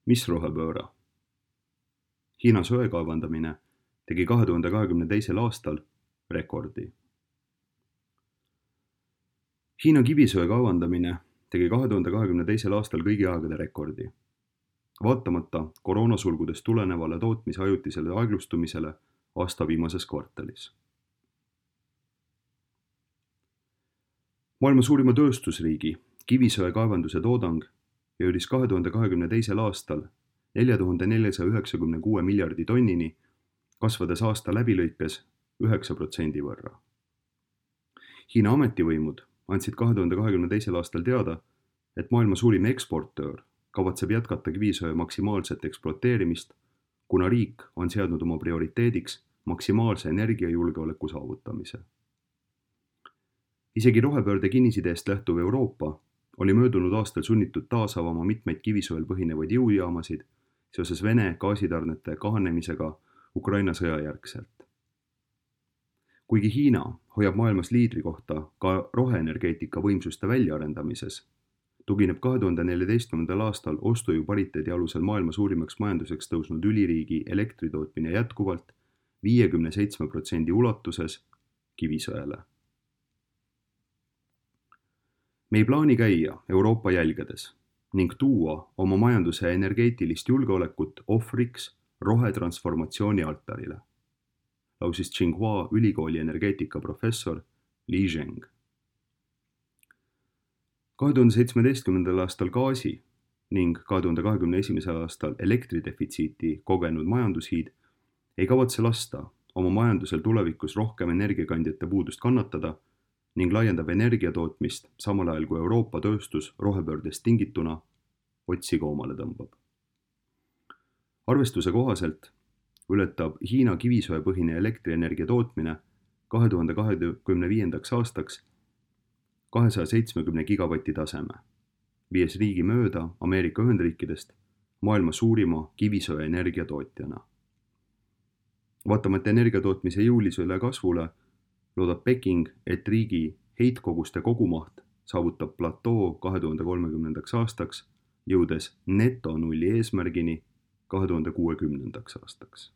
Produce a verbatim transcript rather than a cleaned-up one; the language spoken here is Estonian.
Mis rohepööre? Hiina söe kaevandamine tegi kahe tuhande kahekümne teisel aastal rekordi. Hiina kivisöe kaevandamine tegi kahe tuhande kahekümne teisel aastal kõigi aegade rekordi. Vaatamata koroonasulgudest tulenevale tootmise ajutisele aeglustumisele aasta viimases kvartalis. Maailma suurima tööstusriigi kivisöe kaevanduse toodang jõudis kahe tuhande kahekümne teisel aastal nelja tuhande neljasaja üheksakümne kuue miljardi tonnini, kasvades aasta läbilõikes üheksa protsendi võrra. Hiina ametivõimud andsid kahe tuhande kahekümne teisel aastal teada, et maailma suurim eksportöör kavatseb jätkata kivisöe maksimaalset ekspluateerimist, kuna riik on seadnud oma prioriteediks maksimaalse energiajulgeoleku saavutamise. Isegi rohepöörde kinnisideest lähtuv Euroopa oli möödunud aastal sunnitud taas avama mitmeid kivisöel põhinevaid jõujaamasid seoses Vene gaasitarnete kahanemisega Ukraina sõja järgselt. Kuigi Hiina hoiab maailmas liidri kohta ka roheenergeetika võimsuste väljaarendamises, tugineb kahe tuhande neljateistkümnendal aastal ostujõu pariteedi alusel maailma suurimaks majanduseks tõusnud üliriigi elektritootmine jätkuvalt viiekümne seitsme protsendi ulatuses kivisöele. Me ei plaani käia Euroopa jälgedes ning tuua oma majanduse energeetilist julgeolekut ohvriks rohetransformatsiooni altarile, lausis Tsinghua ülikooli energeetika professor Li Zheng. kahe tuhande seitsmeteistkümnendal aastal gaasi ning kahe tuhande kahekümne esimesel aastal elektridefitsiiti kogenud majandushiid ei kavatse lasta oma majandusel tulevikus rohkem energiakandjate puudust kannatada ning laiendab energiatootmist samal ajal kui Euroopa tööstus rohepöördest tingituna otsi koomale tõmbab. Arvestuse kohaselt ületab Hiina kivisöepõhine elektrienergia tootmine kahe tuhande kahekümne viiendaks aastaks kahesaja seitsmekümne gigavati taseme, viies riigi mööda Ameerika Ühendriikidest maailma suurima kivisöe energiatootjana. Vaatamata energiatootmise jõulisele kasvule loodab Peking, et riigi heitkoguste kogumaht saavutab platoo kahe tuhande kolmekümnendaks aastaks, jõudes netonulli eesmärgini kahe tuhande kuuekümnendaks aastaks.